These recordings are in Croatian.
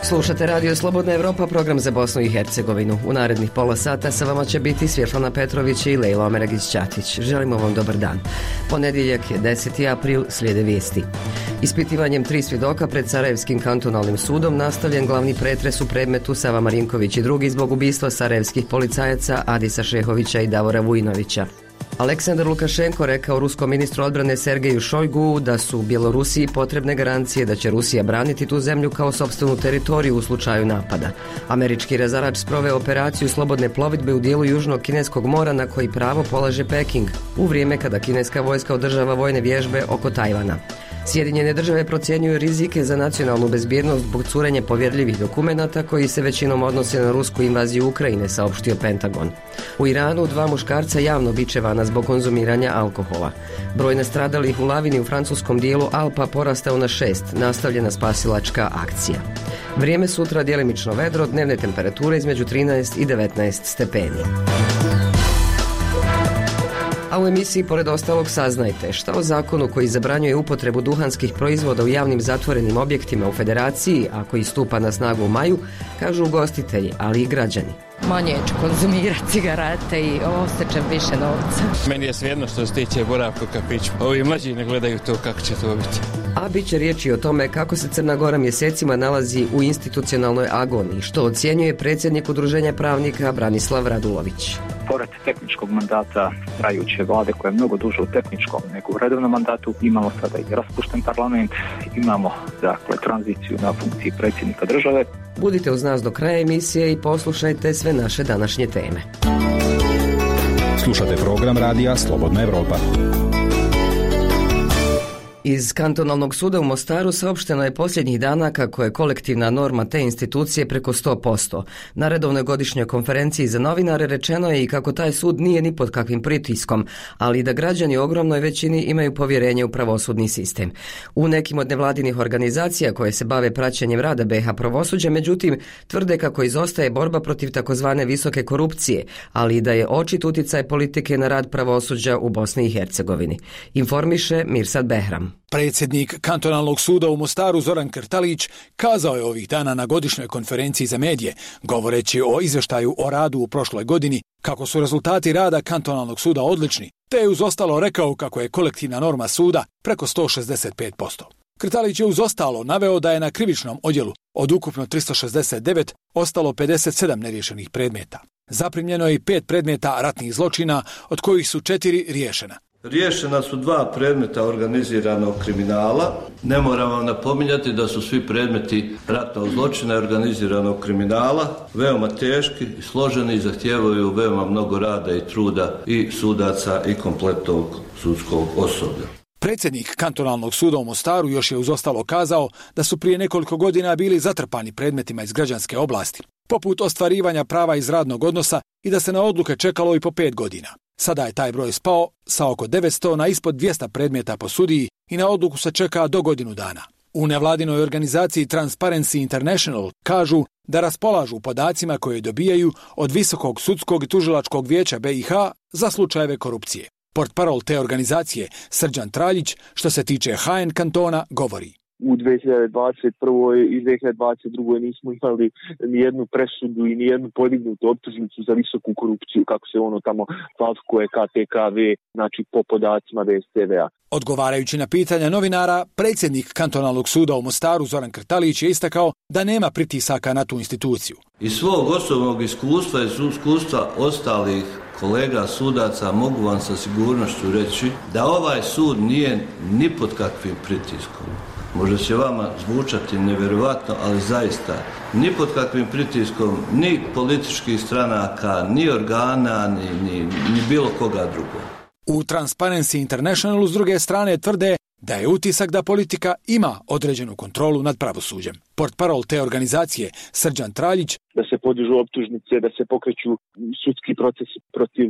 Slušate Radio Slobodna Evropa, program za Bosnu i Hercegovinu. U narednih pola sata sa vama će biti Svjetlana Petrović i Lejla Omeragić-Ćatić. Želimo vam dobar dan. Ponedjeljak je 10. april, slijede vijesti. Ispitivanjem 3 svjedoka pred Sarajevskim kantonalnim sudom nastavljen glavni pretres u predmetu Sava Marinković i drugi zbog ubistva sarajevskih policajaca Adisa Šehovića i Davora Vujnovića. Aleksandar Lukašenko rekao ruskom ministru odbrane Sergeju Šojgu da su Bjelorusiji potrebne garancije da će Rusija braniti tu zemlju kao sopstvenu teritoriju u slučaju napada. Američki razarač sproveo operaciju slobodne plovidbe u dijelu Južnog kineskog mora na koji pravo polaže Peking, u vrijeme kada kineska vojska održava vojne vježbe oko Tajvana. Sjedinjene države procjenjuju rizike za nacionalnu bezbjednost zbog curenja povjerljivih dokumenata koji se većinom odnose na rusku invaziju Ukrajine, saopštio Pentagon. U Iranu 2 muškarca javno bičevana zbog konzumiranja alkohola. Broj nastradalih u lavini u francuskom dijelu Alpa porastao na 6, nastavljena spasilačka akcija. Vrijeme sutra djelimično vedro, dnevne temperature između 13 i 19 stepeni. A u emisiji pored ostalog saznajte šta o zakonu koji zabranjuje upotrebu duhanskih proizvoda u javnim zatvorenim objektima u Federaciji, a koji stupa na snagu u maju, kažu ugostitelji, ali i građani. Manje ću konzumirati cigarete i ostaćem više novca. Meni je svejedno što se tiče boravka u kafiću. Ovi mlađi ne gledaju to kako će to biti. A bit će riječi o tome kako se Crna Gora mjesecima nalazi u institucionalnoj agoniji, što ocjenjuje predsjednik Udruženja pravnika Branislav Radulović. Pored tehničkog mandata trajuće vlade koja je mnogo duže u tehničkom nego u redovnom mandatu, imamo sada i raspušten parlament, imamo tranziciju na funkciji predsjednika države. Budite uz nas do kraja emisije i poslušajte sve naše današnje teme. Slušate program Radija Slobodna Evropa. Iz kantonalnog suda u Mostaru saopšteno je posljednjih dana kako je kolektivna norma te institucije preko 100%. Na redovnoj godišnjoj konferenciji za novinare rečeno je i kako taj sud nije ni pod kakvim pritiskom, ali da građani u ogromnoj većini imaju povjerenje u pravosudni sistem. U nekim od nevladinih organizacija koje se bave praćenjem rada BiH pravosuđa, međutim, tvrde kako izostaje borba protiv takozvane visoke korupcije, ali i da je očit utjecaj politike na rad pravosuđa u Bosni i Hercegovini. Informiše Mirsad Behram. Predsjednik kantonalnog suda u Mostaru Zoran Krtalić kazao je ovih dana na godišnjoj konferenciji za medije, govoreći o izvještaju o radu u prošloj godini, kako su rezultati rada kantonalnog suda odlični, te je uz ostalo rekao kako je kolektivna norma suda preko 165%. Krtalić je uz ostalo naveo da je na krivičnom odjelu od ukupno 369 ostalo 57 neriješenih predmeta. Zaprimljeno je i 5 predmeta ratnih zločina, od kojih su 4 riješena. Riješena su 2 predmeta organiziranog kriminala. Ne moram vam napominjati da su svi predmeti ratnog zločina i organiziranog kriminala veoma teški i složeni i zahtijevaju veoma mnogo rada i truda i sudaca i kompletnog sudskog osoblja. Predsjednik kantonalnog suda u Mostaru još je uz ostalo kazao da su prije nekoliko godina bili zatrpani predmetima iz građanske oblasti, poput ostvarivanja prava iz radnog odnosa i da se na odluke čekalo i po 5 godina. Sada je taj broj spao sa oko 900 na ispod 200 predmeta po sudiji i na odluku se čeka do godinu dana. U nevladinoj organizaciji Transparency International kažu da raspolažu podacima koje dobijaju od Visokog sudskog i tužilačkog vijeća BiH za slučajeve korupcije. Portparol te organizacije Srđan Traljić, što se tiče HN kantona, govori. U 2021. i 2022. nismo imali nijednu presudu i nijednu podignutu optužnicu za visoku korupciju, kako se ono tamo falsifikuje KTKV, znači po podacima VSTV-a. Odgovarajući na pitanja novinara, predsjednik kantonalnog suda u Mostaru Zoran Krtalić je istakao da nema pritisaka na tu instituciju. Iz svog osobnog iskustva i iskustva ostalih kolega sudaca mogu vam sa sigurnošću reći da ovaj sud nije ni pod kakvim pritiskom. Možda će vama zvučati nevjerovatno, ali zaista ni pod kakvim pritiskom, ni političkih stranaka, ni organa, ni bilo koga drugog. U Transparency Internationalu s druge strane tvrde da je utisak da politika ima određenu kontrolu nad pravosuđem. Portparol te organizacije Srđan Traljić, da se podižu optužnice, da se pokreću sudski procesi protiv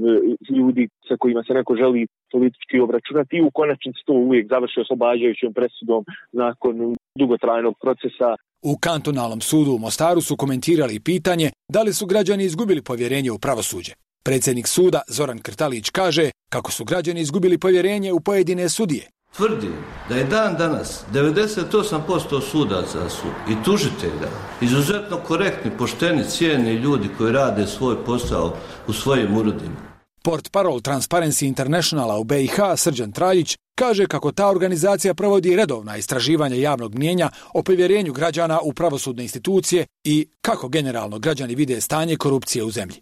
ljudi sa kojima se neko želi politički obračunati i u konačnici to uvijek završi oslobađajućom presudom nakon dugotrajnog procesa. U kantonalnom sudu u Mostaru su komentirali pitanje da li su građani izgubili povjerenje u pravosuđe. Predsjednik suda Zoran Krtalić kaže kako su građani izgubili povjerenje u pojedine sudije, Tvrdim da je dan danas 98% sudaca su i tužitelja izuzetno korektni, pošteni, cijeni ljudi koji rade svoj posao u svojim uredima. Portparol Transparency Internationala u BiH Srđan Traljić kaže kako ta organizacija provodi redovna istraživanja javnog mnijenja o povjerenju građana u pravosudne institucije i kako generalno građani vide stanje korupcije u zemlji.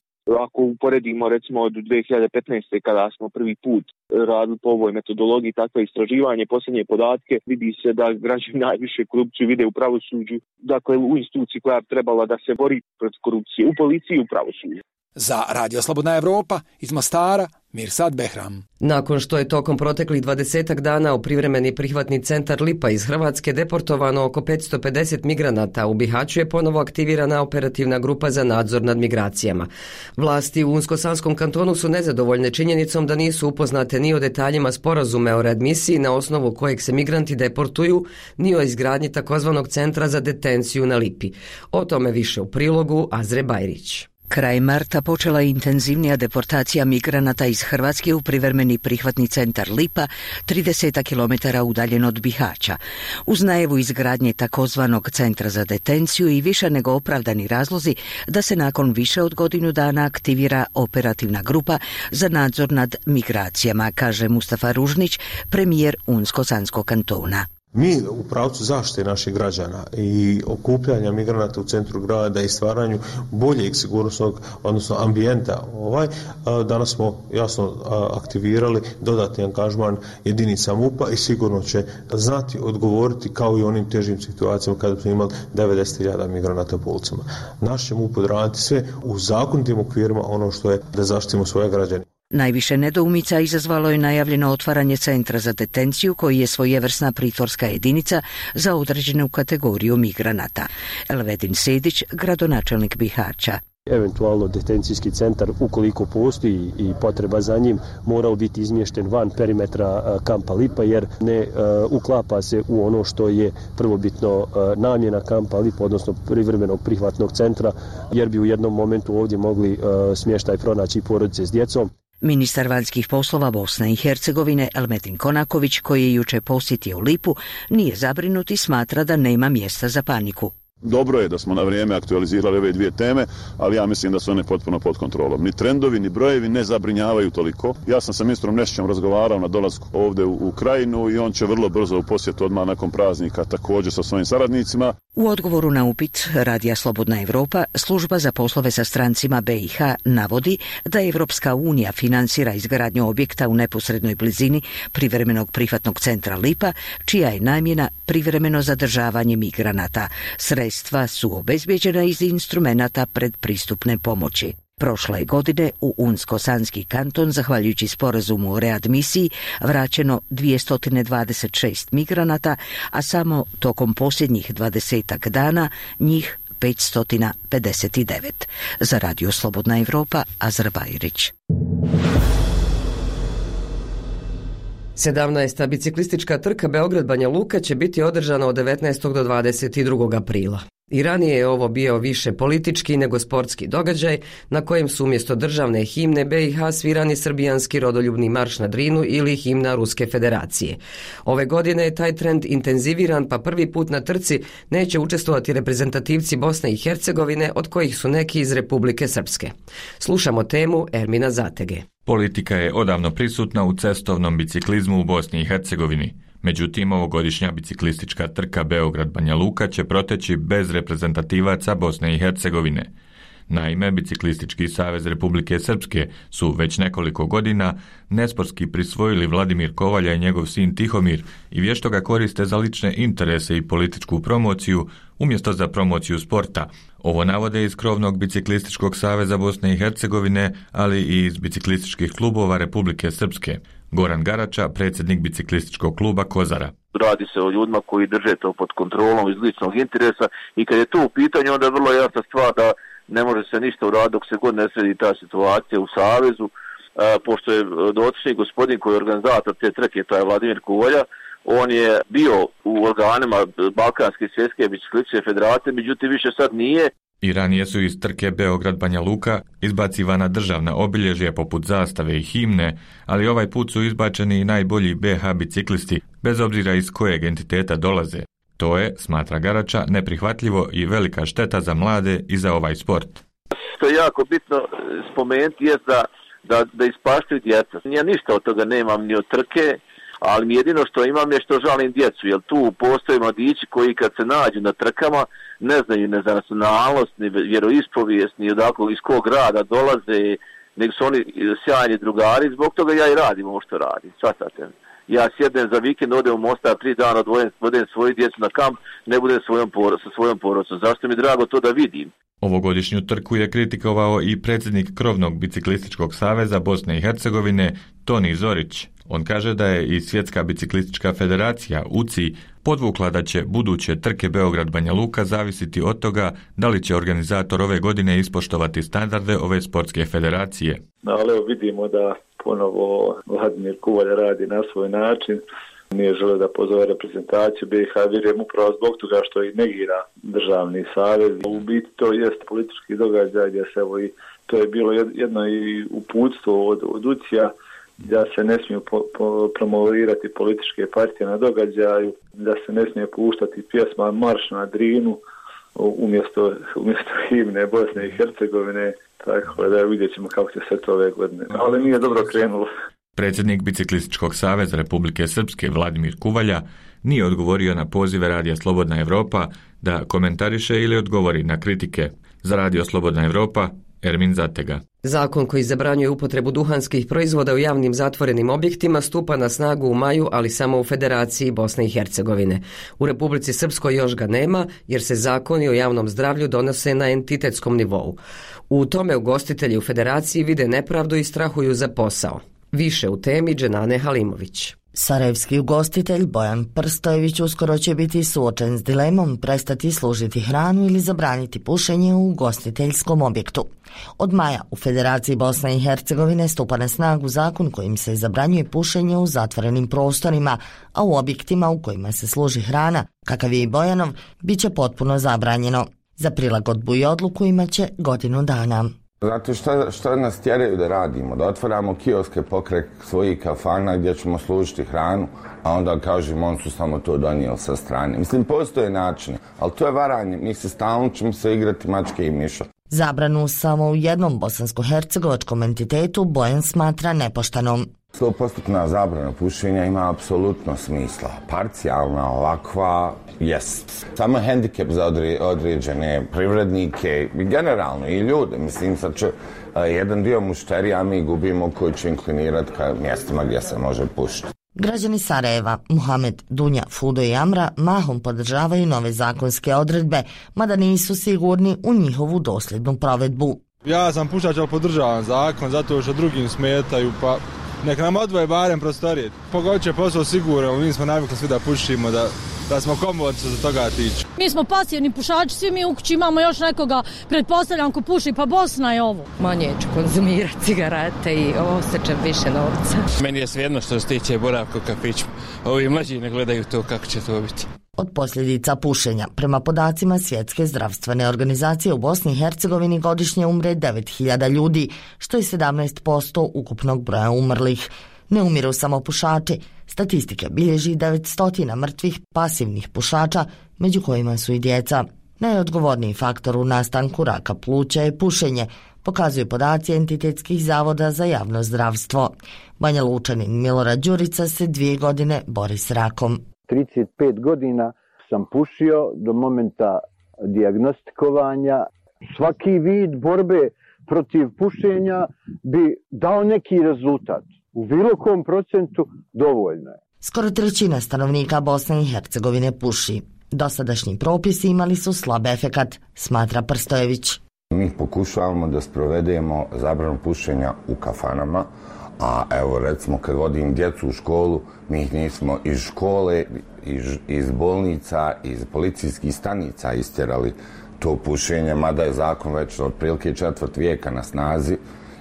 Ako uporedimo recimo od 2015. kada smo prvi put radili po ovoj metodologiji takve istraživanje, posljednje podatke, vidi se da građani najviše korupciju vide u pravosuđu, dakle u instituciji koja je trebala da se bori protiv korupcije, u policiji i u pravosuđu. Za Radio Slobodna Evropa iz Mostara, Mirsad Behram. Nakon što je tokom proteklih 20 dana u privremeni prihvatni centar Lipa iz Hrvatske deportovano oko 550 migranata, u Bihaću je ponovo aktivirana operativna grupa za nadzor nad migracijama. Vlasti u Unsko-Sanskom kantonu su nezadovoljne činjenicom da nisu upoznate ni o detaljima sporazume o readmisiji na osnovu kojeg se migranti deportuju, ni o izgradnji takozvanog centra za detenciju na Lipi. O tome više u prilogu Azre Bajrić. Kraj marta počela je intenzivnija deportacija migranata iz Hrvatske u privremeni prihvatni centar Lipa, 30 km udaljen od Bihaća. Uz najavu izgradnje takozvanog centra za detenciju i više nego opravdani razlozi da se nakon više od godinu dana aktivira operativna grupa za nadzor nad migracijama, kaže Mustafa Ružnić, premijer Unsko-Sanskog kantona. Mi u pravcu zaštite naših građana i okupljanja migranata u centru grada i stvaranju boljeg sigurnosnog, odnosno ambijenta, danas smo jasno aktivirali dodatni angažman jedinica MUP-a i sigurno će znati odgovoriti kao i onim težim situacijama kada smo imali 90.000 migranata po ulicama. Naš će MUP odraditi sve u zakonitim okvirima ono što je da zaštitimo svoje građane. Najviše nedoumica izazvalo je najavljeno otvaranje centra za detenciju koji je svojevrsna pritvorska jedinica za određenu kategoriju migranata. Elvedin Sedić, gradonačelnik Bihaća. Eventualno detencijski centar, ukoliko postoji i potreba za njim, morao biti izmješten van perimetra kampa Lipa jer ne uklapa se u ono što je prvobitno namjena kampa Lipa, odnosno privremenog prihvatnog centra, jer bi u jednom momentu ovdje mogli smještaj pronaći porodice s djecom. Ministar vanjskih poslova Bosne i Hercegovine Elmetin Konaković, koji je juče posjetio Lipu, nije zabrinut i smatra da nema mjesta za paniku. Dobro je da smo na vrijeme aktualizirali ove dvije teme, ali ja mislim da su one potpuno pod kontrolom. Ni trendovi, ni brojevi ne zabrinjavaju toliko. Ja sam sa ministrom Nešićem razgovarao na dolasku ovdje u Krajinu i on će vrlo brzo u posjetu odmah nakon praznika također sa svojim saradnicima. U odgovoru na upit Radija Slobodna Evropa, služba za poslove sa strancima BiH navodi da Evropska unija financira izgradnju objekta u neposrednoj blizini privremenog prihvatnog centra Lipa, čija je namjena privremeno zadržavanje migranata. Sredstva su obezbijeđena iz instrumenata predpristupne pomoći. Prošle godine u Unsko-Sanski kanton, zahvaljujući sporazumu o readmisiji, vraćeno 226 migranata, a samo tokom posljednjih 20 dana njih 559. Za Radio Slobodna Evropa, Azra Bajrić. 17. biciklistička trka Beograd-Banja Luka će biti održana od 19. do 22. aprila. I ranije je ovo bio više politički nego sportski događaj na kojem su umjesto državne himne BiH svirani srbijanski rodoljubni marš na Drinu ili himna Ruske federacije. Ove godine je taj trend intenziviran, pa prvi put na trci neće učestvovati reprezentativci Bosne i Hercegovine, od kojih su neki iz Republike Srpske. Slušamo temu Ermina Zatege. Politika je odavno prisutna u cestovnom biciklizmu u Bosni i Hercegovini. Međutim, ovogodišnja biciklistička trka Beograd-Banja Luka će proteći bez reprezentativaca Bosne i Hercegovine. Naime, Biciklistički savez Republike Srpske su već nekoliko godina nesportski prisvojili Vladimir Kovalja i njegov sin Tihomir i vješto ga koriste za lične interese i političku promociju umjesto za promociju sporta. Ovo navode iz krovnog Biciklističkog saveza Bosne i Hercegovine, ali i iz biciklističkih klubova Republike Srpske. Goran Garača, predsjednik biciklističkog kluba Kozara. Radi se o ljudima koji drže to pod kontrolom iz ličnog interesa i kad je to u pitanju, onda je vrlo jasna stvar da ne može se ništa uraditi dok se god ne sredi ta situacija u Savezu, pošto je dotični gospodin koji je organizator te trke, to je Vladimir Kovalja, on je bio u organima Balkanske svjetske biciklističke federacije, međutim više sad nije I ranije su iz trke Beograd-Banja Luka izbacivana državna obilježja poput zastave i himne, ali ovaj put su izbačeni i najbolji BH biciklisti, bez obzira iz kojeg entiteta dolaze. To je, smatra Garača, neprihvatljivo i velika šteta za mlade i za ovaj sport. Što je jako bitno spomenuti je da ispaštaju djeca. Ja ništa od toga nemam ni od trke, ali jedino što imam je što žalim djecu, jer tu postoje mladići koji kad se nađu na trkama ne znaju ne za nacionalnost, ni vjeroispovijest, ni odakle iz kog grada dolaze, nego su oni sjajni drugari, zbog toga ja i radim ovo što radim, shvatate. Ja sjednem za vikend, odem u Mostar 3 dana, odvodem svoju djecu na kamp, ne budem sa svojom porodicom. Zašto mi je drago to da vidim? Ovogodišnju trku je kritikovao i predsjednik Krovnog biciklističkog saveza Bosne i Hercegovine, Toni Zorić. On kaže da je i Svjetska biciklistička federacija, UCI, podvukla da će buduće trke Beograd-Banja Luka zavisiti od toga da li će organizator ove godine ispoštovati standarde ove sportske federacije. Ali evo vidimo da ponovo Vladimir Kuvalja radi na svoj način. Nije želeo da pozove reprezentaciju BiH, vjerujem upravo zbog toga što i negira državni savez. U biti to jest politički događaj gdje se evo i to je bilo jedno i uputstvo od UCI-a da se ne smiju promovirati političke partije na događaju, da se ne smije puštati pjesma Marš na Drinu umjesto himne Bosne i Hercegovine, tako da vidjet ćemo kako će se to ove godine. Ali nije dobro krenulo. Predsjednik Biciklističkog saveza Republike Srpske Vladimir Kuvalja nije odgovorio na pozive Radija Slobodna Evropa da komentariše ili odgovori na kritike. Za Radio Slobodna Evropa, Ermin Zatega. Zakon koji zabranjuje upotrebu duhanskih proizvoda u javnim zatvorenim objektima stupa na snagu u maju, ali samo u Federaciji Bosne i Hercegovine. U Republici Srpskoj još ga nema, jer se zakoni o javnom zdravlju donose na entitetskom nivou. U tome ugostitelji u Federaciji vide nepravdu i strahuju za posao. Više u temi Dženane Halimović. Sarajevski ugostitelj Bojan Prstojević uskoro će biti suočen s dilemom prestati služiti hranu ili zabraniti pušenje u ugostiteljskom objektu. Od maja u Federaciji Bosne i Hercegovine stupa na snagu zakon kojim se zabranjuje pušenje u zatvorenim prostorima, a u objektima u kojima se služi hrana, kakav je i Bojanov, bit će potpuno zabranjeno. Za prilagodbu i odluku imaće godinu dana. Zato što nas tjeraju da radimo, da otvaramo kioske pokraj svojih kafana gdje ćemo služiti hranu, a onda kažemo on su samo to donijeli sa strane. Mislim, postoje načine, ali to je varanje. Mi se stalno ćemo se igrati mačke i miša. Zabranu samo u jednom bosansko-hercegovačkom entitetu Bojan smatra nepoštenom. 100% zabrana pušenja ima apsolutno smisla. Parcijalna, ovakva, jest. Samo hendikep za određene privrednike i generalno i ljude. Mislim, sad će jedan dio mušterija mi gubimo koji će inklinirati ka mjestima gdje se može pušiti. Građani Sarajeva, Muhamed, Dunja, Fudo i Amra mahom podržavaju nove zakonske odredbe, mada nisu sigurni u njihovu dosljednu provedbu. Ja sam pušač, ali podržavam zakon zato što drugim smetaju, pa nek nam odvoje barem prostorije. Pogod će posao sigurno, mi smo navikli svi da pušimo, da smo komodni što se toga tiče. Mi smo pasivni pušači, svi mi u kući imamo još nekoga, pretpostavljam ko puši, pa Bosna je ovo. Manje ću konzumirati cigarete i osjećam više novca. Meni je svejedno što se tiče boravka u kafiću. Ovi mlađi ne gledaju to kako će to biti. Od posljedica pušenja, prema podacima Svjetske zdravstvene organizacije, u Bosni i Hercegovini godišnje umre 9.000 ljudi, što je 17% ukupnog broja umrlih. Ne umiru samo pušači. Statistike bilježi 900 mrtvih pasivnih pušača, među kojima su i djeca. Najodgovorniji faktor u nastanku raka pluća je pušenje, pokazuju podaci entitetskih zavoda za javno zdravstvo. Banja Lučanin Milorad Đurica se 2 godine bori s rakom. 35 godina sam pušio do momenta dijagnostikovanja. Svaki vid borbe protiv pušenja bi dao neki rezultat. U bilo kom procentu dovoljno je. Skoro 1/3 stanovnika Bosne i Hercegovine puši. Dosadašnji propisi imali su slab efekat, smatra Prstojević. Mi pokušavamo da sprovedemo zabranu pušenja u kafanama, a evo recimo kad vodim djecu u školu, mi ih nismo iz škole, iz bolnica, iz policijskih stanica istjerali to pušenje, mada je zakon već otprilike 4. vijeka na snazi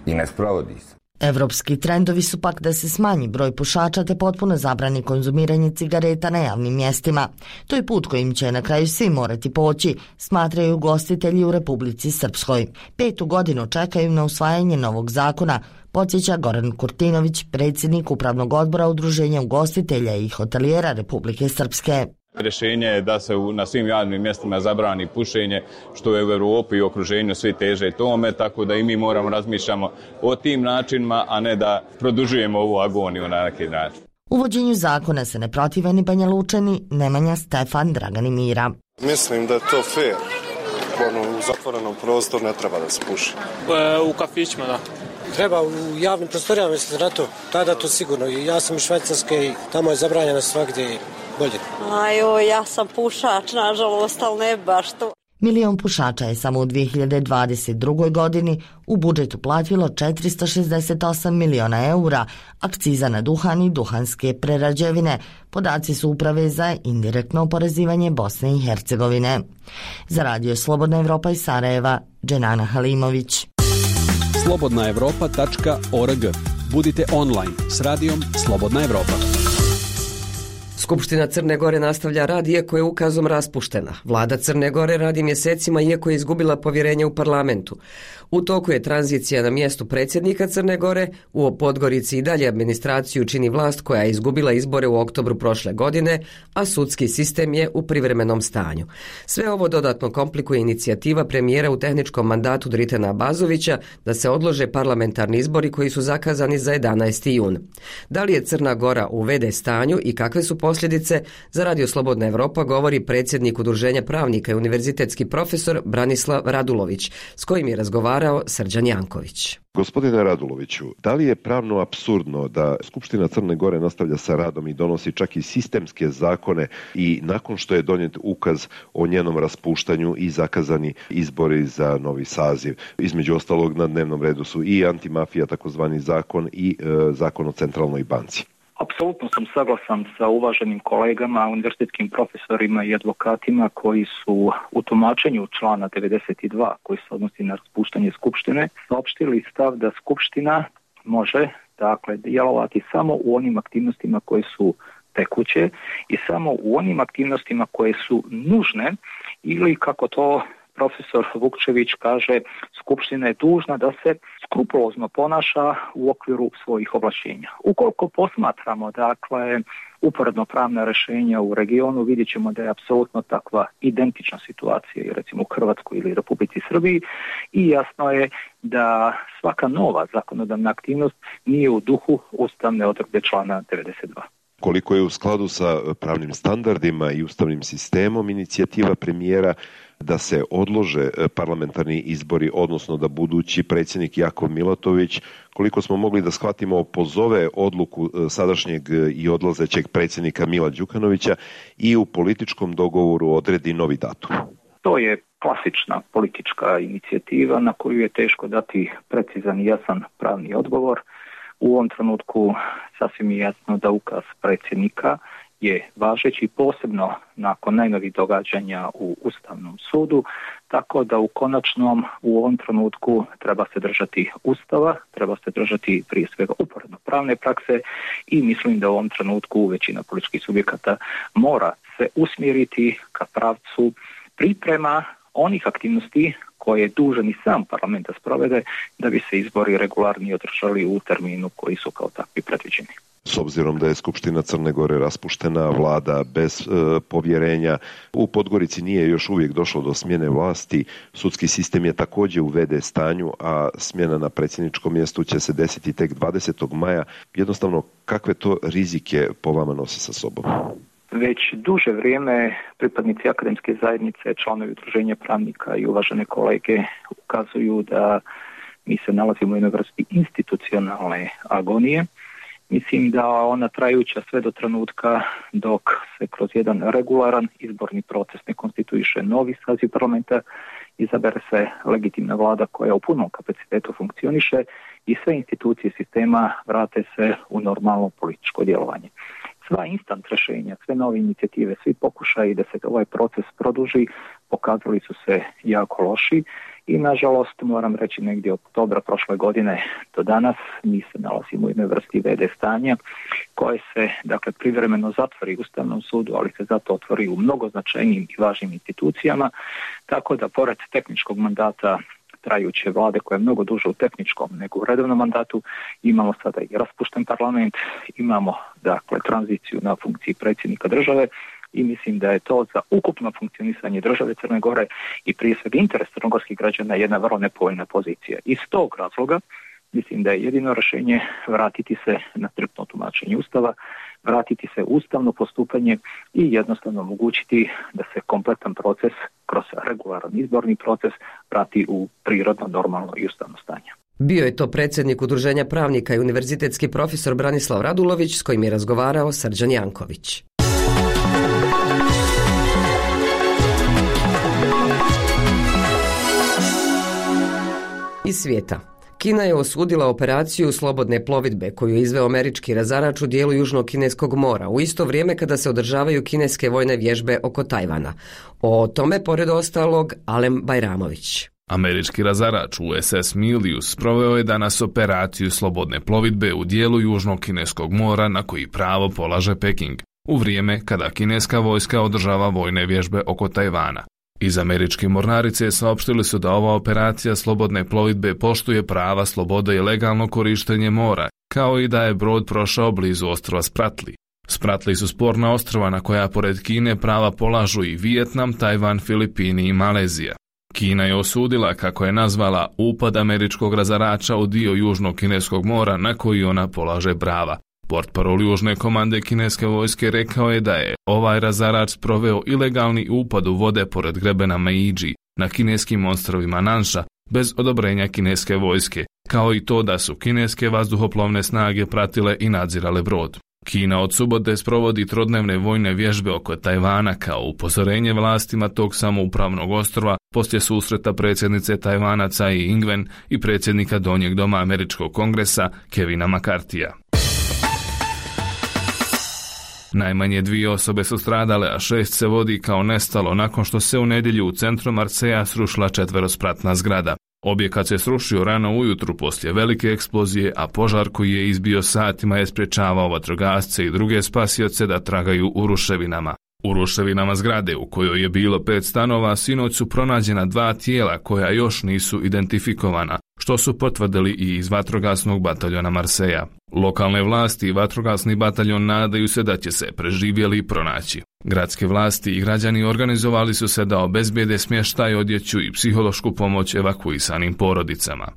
i ne sprovodi se. Evropski trendovi su pak da se smanji broj pušača te potpuno zabrani konzumiranje cigareta na javnim mjestima. To je put kojim će na kraju svi morati poći, smatraju ugostitelji u Republici Srpskoj. 5. godinu čekaju na usvajanje novog zakona, podsjeća Goran Kurtinović, predsjednik Upravnog odbora Udruženja ugostitelja i hotelijera Republike Srpske. Rješenje je da se na svim javnim mjestima zabrani pušenje, što je u Europi i okruženju svi teže tome, tako da i mi moramo razmišljamo o tim načinima, a ne da produžujemo ovu agoniju na neki način. Uvođenju zakona se ne protive ni Banja Lučani, Nemanja, Stefan, Dragan i Mira. Mislim da je to fair. U zatvorenom prostoru ne treba da se puši. U kafićima, da. Treba u javnim prostorijama, mislite na to? Tada to sigurno. Ja sam iz Švajcarske i tamo je zabranjeno svakdje bolje. Ja sam pušač, nažalost, ali ne baš to. Milion pušača je samo u 2022. godini u budžet uplatilo 468 miliona eura, akciza na duhan i duhanske prerađevine. Podaci su Uprave za indirektno oporezivanje Bosne i Hercegovine. Za Radio Slobodna Evropa iz Sarajeva, Dženana Halimović. slobodnaevropa.org. Budite online s radijom Slobodna Evropa. Skupština Crne Gore nastavlja rad iako je ukazom raspuštena. Vlada Crne Gore radi mjesecima iako je izgubila povjerenje u parlamentu. U toku je tranzicija na mjestu predsjednika Crne Gore, u Podgorici i dalje administraciju čini vlast koja je izgubila izbore u oktobru prošle godine, a sudski sistem je u privremenom stanju. Sve ovo dodatno komplikuje inicijativa premijera u tehničkom mandatu Dritena Abazovića da se odlože parlamentarni izbori koji su zakazani za 11. jun. Da li je Crna Gora u v.d. stanju i kakve su posljedice, za Radio Slobodna Evropa govori predsjednik Udruženja pravnika i univerzitetski profesor Branislav Radulović, s kojim je razgovarao Srđan Janković. Gospodine Raduloviću, da li je pravno apsurdno da Skupština Crne Gore nastavlja sa radom i donosi čak i sistemske zakone i nakon što je donijet ukaz o njenom raspuštanju i zakazani izbori za novi saziv? Između ostalog na dnevnom redu su i antimafija, takozvani zakon, i zakon o centralnoj banci. Apsolutno sam saglasan sa uvaženim kolegama, univerzitetskim profesorima i advokatima koji su u tumačenju člana 92 koji se odnosi na raspuštanje Skupštine saopštili stav da Skupština može djelovati samo u onim aktivnostima koje su tekuće i samo u onim aktivnostima koje su nužne ili kako to profesor Vukčević kaže, Skupština je dužna da se skrupulozno ponaša u okviru svojih ovlašćenja. Ukoliko posmatramo, uporedno pravna rješenja u regionu, vidjet ćemo da je apsolutno takva identična situacija i recimo u Hrvatskoj ili Republici Srbiji i jasno je da svaka nova zakonodavna aktivnost nije u duhu ustavne odredbe člana 92. Koliko je u skladu sa pravnim standardima i ustavnim sistemom inicijativa premijera da se odlože parlamentarni izbori, odnosno da budući predsjednik Jakov Milatović, koliko smo mogli da shvatimo, pozove odluku sadašnjeg i odlazećeg predsjednika Mila Đukanovića i u političkom dogovoru odredi novi datum? To je klasična politička inicijativa na koju je teško dati precizan i jasan pravni odgovor. U ovom trenutku sasvim je jasno da ukaz predsjednika je važeći, posebno nakon najnovih događanja u Ustavnom sudu, tako da u konačnom u ovom trenutku treba se držati Ustava, treba se držati prije svega uporedno pravne prakse i mislim da u ovom trenutku većina političkih subjekata mora se usmjeriti ka pravcu priprema onih aktivnosti koje je dužan i sam parlament da sprovede da bi se izbori regularni održali u terminu koji su kao takvi predviđeni. S obzirom da je Skupština Crne Gore raspuštena, vlada bez povjerenja, u Podgorici nije još uvijek došlo do smjene vlasti, sudski sistem je također u v.d. stanju, a smjena na predsjedničkom mjestu će se desiti tek 20. maja. Jednostavno, kakve to rizike po vama nosi sa sobom? Već duže vrijeme pripadnici akademske zajednice, članovi Udruženja pravnika i uvažene kolege ukazuju da mi se nalazimo u jednoj vrsti institucionalne agonije. Mislim da ona trajuća sve do trenutka dok se kroz jedan regularan izborni proces ne konstituiše novi saziv parlamenta, izabere se legitimna vlada koja u punom kapacitetu funkcioniše i sve institucije sistema vrate se u normalno političko djelovanje. Sva instant rješenja, sve nove inicijative, svi pokušaji da se ovaj proces produži pokazali su se jako loši i nažalost moram reći negdje od oktobra prošle godine do danas mi se nalazimo u jednoj vrsti v.d. stanja koje se dakle privremeno zatvori u Ustavnom sudu, ali se zato otvori u mnogo značajnijim i važnim institucijama, tako da pored tehničkog mandata trajuće vlade koja je mnogo duže u tehničkom nego u redovnom mandatu, imamo sada i raspušten parlament, imamo dakle tranziciju na funkciji predsjednika države i mislim da je to za ukupno funkcionisanje države Crne Gore i prije svega interes crnogorskih građana jedna vrlo nepovoljna pozicija. Iz tog razloga mislim da je jedino rješenje vratiti se na striktno tumačenje Ustava, vratiti se u ustavno postupanje i jednostavno omogućiti da se kompletan proces kroz regularan izborni proces vrati u prirodno, normalno i ustavno stanje. Bio je to predsjednik Udruženja pravnika i univerzitetski profesor Branislav Radulović s kojim je razgovarao Srđan Janković. Iz svijeta. Kina je osudila operaciju slobodne plovidbe koju je izveo američki razarač u dijelu Južnog kineskog mora u isto vrijeme kada se održavaju kineske vojne vježbe oko Tajvana. O tome, pored ostalog, Alem Bajramović. Američki razarač USS Milius proveo je danas operaciju slobodne plovidbe u dijelu Južnog kineskog mora na koji pravo polaže Peking, u vrijeme kada kineska vojska održava vojne vježbe oko Tajvana. Iz američke mornarice saopštili su da ova operacija slobodne plovidbe poštuje prava slobode i legalno korištenje mora, kao i da je brod prošao blizu ostrva Spratly. Spratly su sporna ostrva na koja pored Kine prava polažu i Vijetnam, Tajvan, Filipini i Malezija. Kina je osudila, kako je nazvala, upad američkog razarača u dio Južnog kineskog mora na koji ona polaže prava. Portparol Južne komande kineske vojske rekao je da je ovaj razarač proveo ilegalni upad u vode pored grebena Meiji na kineskim ostrvima Nansha bez odobrenja kineske vojske, kao i to da su kineske vazduhoplovne snage pratile i nadzirale brod. Kina od subote sprovodi trodnevne vojne vježbe oko Tajvana kao upozorenje vlastima tog samoupravnog ostrva poslije susreta predsjednice Tajvana Tsai Ing-wen i predsjednika Donjeg doma američkog kongresa Kevina McCarthyja. Najmanje 2 osobe su stradale, a 6 se vodi kao nestalo nakon što se u nedjelju u centru Marseja srušila 4-spratna zgrada. Objekat se srušio rano ujutru poslije velike eksplozije, a požar koji je izbio satima je sprječavao vatrogasce i druge spasioce da tragaju u ruševinama. U ruševinama zgrade u kojoj je bilo 5 stanova sinoć su pronađena 2 tijela koja još nisu identifikovana, što su potvrdili i iz vatrogasnog bataljona Marseja. Lokalne vlasti i vatrogasni bataljon nadaju se da će se preživjeli pronaći. Gradske vlasti i građani organizovali su se da obezbijede smještaj, odjeću i psihološku pomoć evakuisanim porodicama.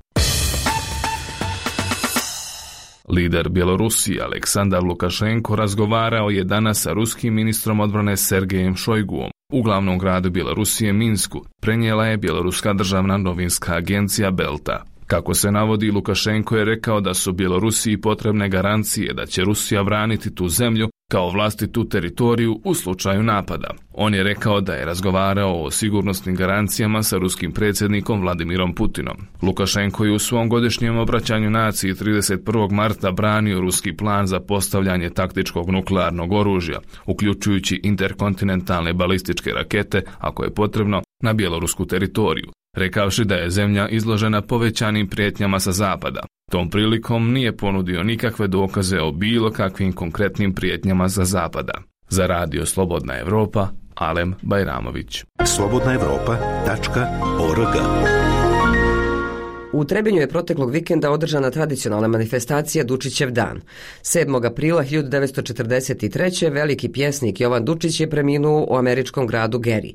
Lider Bjelorusije Aleksandar Lukašenko razgovarao je danas sa ruskim ministrom odbrane Sergejem Šojguom u glavnom gradu Bjelorusije Minsku, prenijela je bjeloruska državna novinska agencija Belta. Kako se navodi, Lukašenko je rekao da su Bjelorusiji potrebne garancije da će Rusija braniti tu zemlju kao vlastitu teritoriju u slučaju napada. On je rekao da je razgovarao o sigurnosnim garancijama sa ruskim predsjednikom Vladimirom Putinom. Lukašenko je u svom godišnjem obraćanju naciji 31. marta branio ruski plan za postavljanje taktičkog nuklearnog oružja, uključujući interkontinentalne balističke rakete, ako je potrebno, na bjelorusku teritoriju, rekavši da je zemlja izložena povećanim prijetnjama sa zapada. Tom prilikom nije ponudio nikakve dokaze o bilo kakvim konkretnim prijetnjama sa zapada. Za radio Slobodna Evropa, Alem Bajramović. slobodnaevropa.org. U Trebinju je proteklog vikenda održana tradicionalna manifestacija Dučićev dan. 7. aprila 1943. veliki pjesnik Jovan Dučić je preminuo u američkom gradu Geri.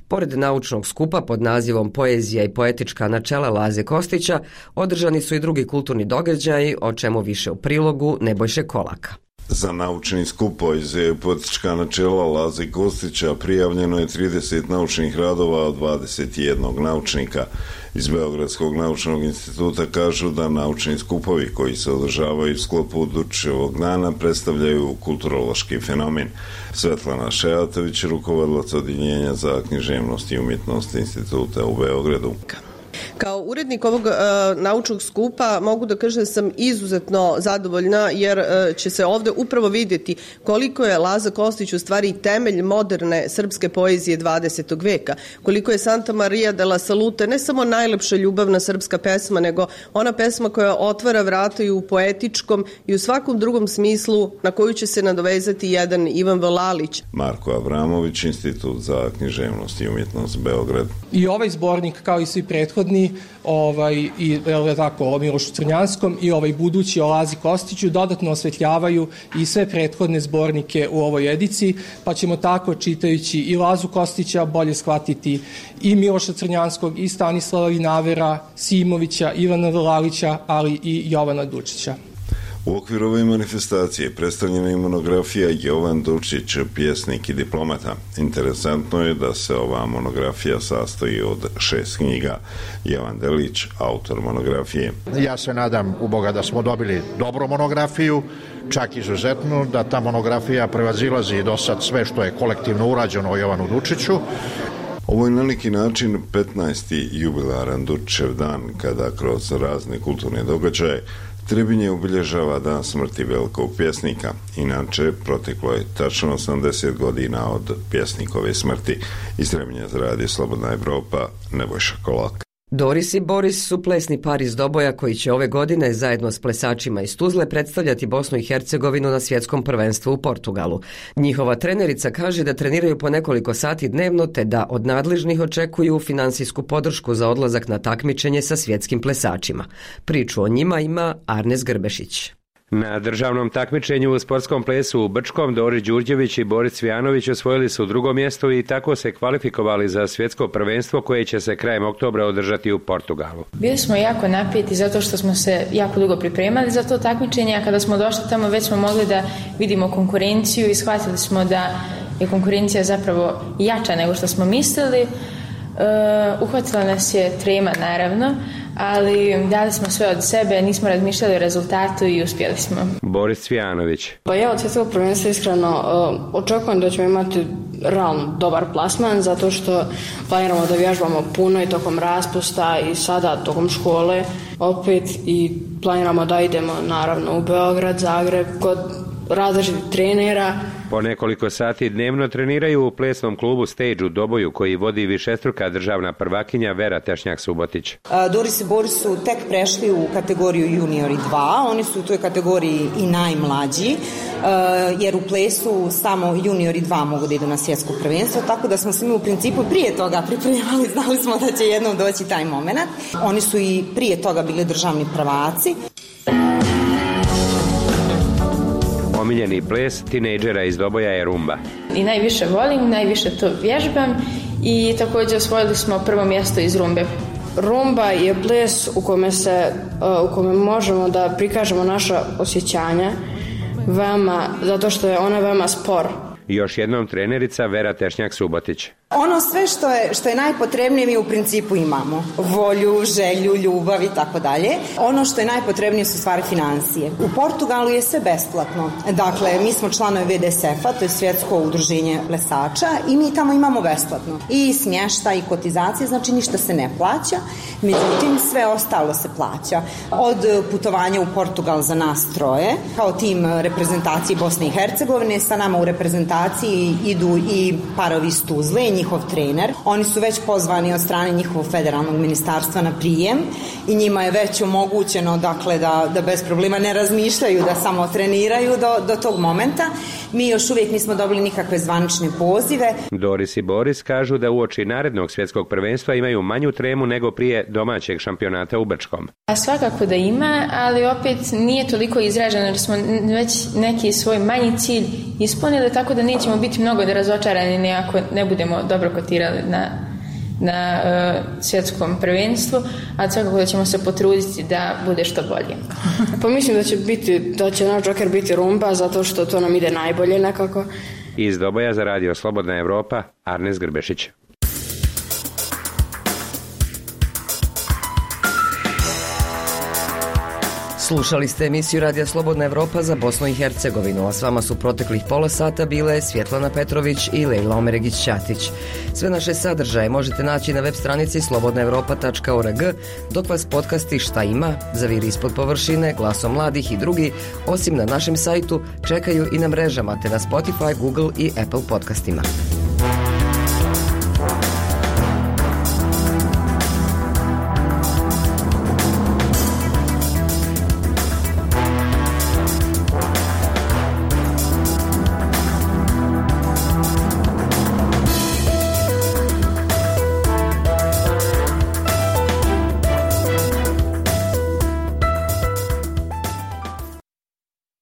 Pored naučnog skupa pod nazivom Poezija i poetička načela Laze Kostića, održani su i drugi kulturni događaji, o čemu više u prilogu Nebojše Kolaka. Za naučni skup Poezija i poetička načela Laze Kostića prijavljeno je 30 naučnih radova od 21 naučnika. Iz Beogradskog naučnog instituta kažu da naučni skupovi koji se održavaju u sklopu Dučićevog dana predstavljaju kulturološki fenomen. Svetlana Šejatović, rukovodilac Odjeljenja za književnost i umjetnost instituta u Beogradu. Kao urednik ovog naučnog skupa mogu da kažem da sam izuzetno zadovoljna jer će se ovde upravo vidjeti koliko je Laza Kostić u stvari temelj moderne srpske poezije 20. veka, koliko je Santa Maria de la Salute ne samo najlepša ljubavna srpska pesma, nego ona pesma koja otvara vrata i u poetičkom i u svakom drugom smislu na koju će se nadovezati jedan Ivan Vlalić. Marko Avramović, Institut za književnost i umjetnost Beograd. I ovaj zbornik kao i svi prethodni i tako o Milošu Crnjanskom i ovaj budući o Lazi Kostiću dodatno osvetljavaju i sve prethodne zbornike u ovoj ediciji, pa ćemo tako čitajući i Lazu Kostića bolje shvatiti i Miloša Crnjanskog i Stanislava Vinavera, Simovića, Ivana Vlalića, ali i Jovana Dučića. U okviru ove manifestacije predstavljena je monografija Jovan Dučić, pjesnik i diplomata. Interesantno je da se ova monografija sastoji od 6 knjiga. Jovan Delić, autor monografije. Ja se nadam u Boga da smo dobili dobru monografiju, čak izuzetno, da ta monografija prevazilazi do sad sve što je kolektivno urađeno o Jovanu Dučiću. Ovo je na neki način 15. jubilaran Dučićev dan, kada kroz razne kulturne događaje Trebinje obilježava dan smrti velikog pjesnika. Inače, proteklo je tačno 80 godina od pjesnikove smrti. Iz Trebinja za Radio Slobodna Evropa, Nebojša Kolak. Doris i Boris su plesni par iz Doboja koji će ove godine zajedno s plesačima iz Tuzle predstavljati Bosnu i Hercegovinu na svjetskom prvenstvu u Portugalu. Njihova trenerica kaže da treniraju po nekoliko sati dnevno te da od nadležnih očekuju finansijsku podršku za odlazak na takmičenje sa svjetskim plesačima. Priču o njima ima Arnes Grbešić. Na državnom takmičenju u sportskom plesu u Brčkom Doris Đurđević i Boris Cvijanović osvojili su drugo mjesto i tako se kvalifikovali za svjetsko prvenstvo koje će se krajem oktobra održati u Portugalu. Bili smo jako napeti zato što smo se jako dugo pripremali za to takmičenje, a kada smo došli tamo već smo mogli da vidimo konkurenciju i shvatili smo da je konkurencija zapravo jača nego što smo mislili. Uhvatila nas je trema naravno, ali dali smo sve od sebe, nismo razmišljali o rezultatu i uspjeli smo. Boris Cvijanović. Pa ja od svjetskog prvenstva iskreno očekujem da ćemo imati realno dobar plasman, zato što planiramo da vježbamo puno i tokom raspusta i sada tokom škole opet i planiramo da idemo naravno u Beograd, Zagreb, kod različitih trenera. Po nekoliko sati dnevno treniraju u plesnom klubu Stage u Doboju koji vodi višestruka državna prvakinja Vera Tešnjak-Subotić. Doris i Boris su tek prešli u kategoriju juniori 2, oni su u toj kategoriji i najmlađi, jer u plesu samo juniori 2 mogu da idu na svjetsko prvenstvo, tako da smo se mi u principu prije toga pripremali, znali smo da će jednom doći taj moment. Oni su i prije toga bili državni prvaci. Omiljeni ples tinejdžera iz Doboja je rumba. I najviše volim, najviše to vježbam i također osvojili smo prvo mjesto iz rumbe. Rumba je ples u kome možemo da prikažemo naša osjećanja zato što je ona veoma spor. Još jednom trenerica Vera Tešnjak-Subotić. Ono sve što je najpotrebnije mi u principu imamo. Volju, želju, ljubav i tako dalje. Ono što je najpotrebnije su stvari financije. U Portugalu je sve besplatno. Dakle, mi smo članovi VDSF-a, to je svjetsko udruženje plesača i mi tamo imamo besplatno. I smještaj i kotizacije, znači ništa se ne plaća. Međutim, sve ostalo se plaća. Od putovanja u Portugal za nas troje, kao tim reprezentacije Bosne i Hercegovine, sa nama u reprezentaciji idu i parovi iz Tuzle, njihov trener. Oni su već pozvani od strane njihovog federalnog ministarstva na prijem i njima je već omogućeno dakle, da bez problema ne razmišljaju, da samo treniraju do tog momenta. Mi još uvijek nismo dobili nikakve zvanične pozive. Doris i Boris kažu da uoči narednog svjetskog prvenstva imaju manju tremu nego prije domaćeg šampionata u Brčkom. A svakako da ima, ali opet nije toliko izraženo jer smo već neki svoj manji cilj ispunili, tako da nećemo biti mnogo razočarani ako ne budemo dobro kotirali na svjetskom prvenstvu, a svakako da ćemo se potruditi da bude što bolje. Pa mislim da će naš džoker biti rumba, zato što to nam ide najbolje nekako. Iz Doboja za Radio Slobodna Evropa, Arnes Grbešić. Slušali ste emisiju Radija Slobodna Evropa za Bosnu i Hercegovinu, a s vama su proteklih pola sata bile Svjetlana Petrović i Lejla Omeregić-Ćatić. Sve naše sadržaje možete naći na web stranici slobodnaevropa.org, dok vas podcasti Šta ima, Zaviri ispod površine, Glasom mladih i drugi, osim na našem sajtu, čekaju i na mrežama te na Spotify, Google i Apple podcastima.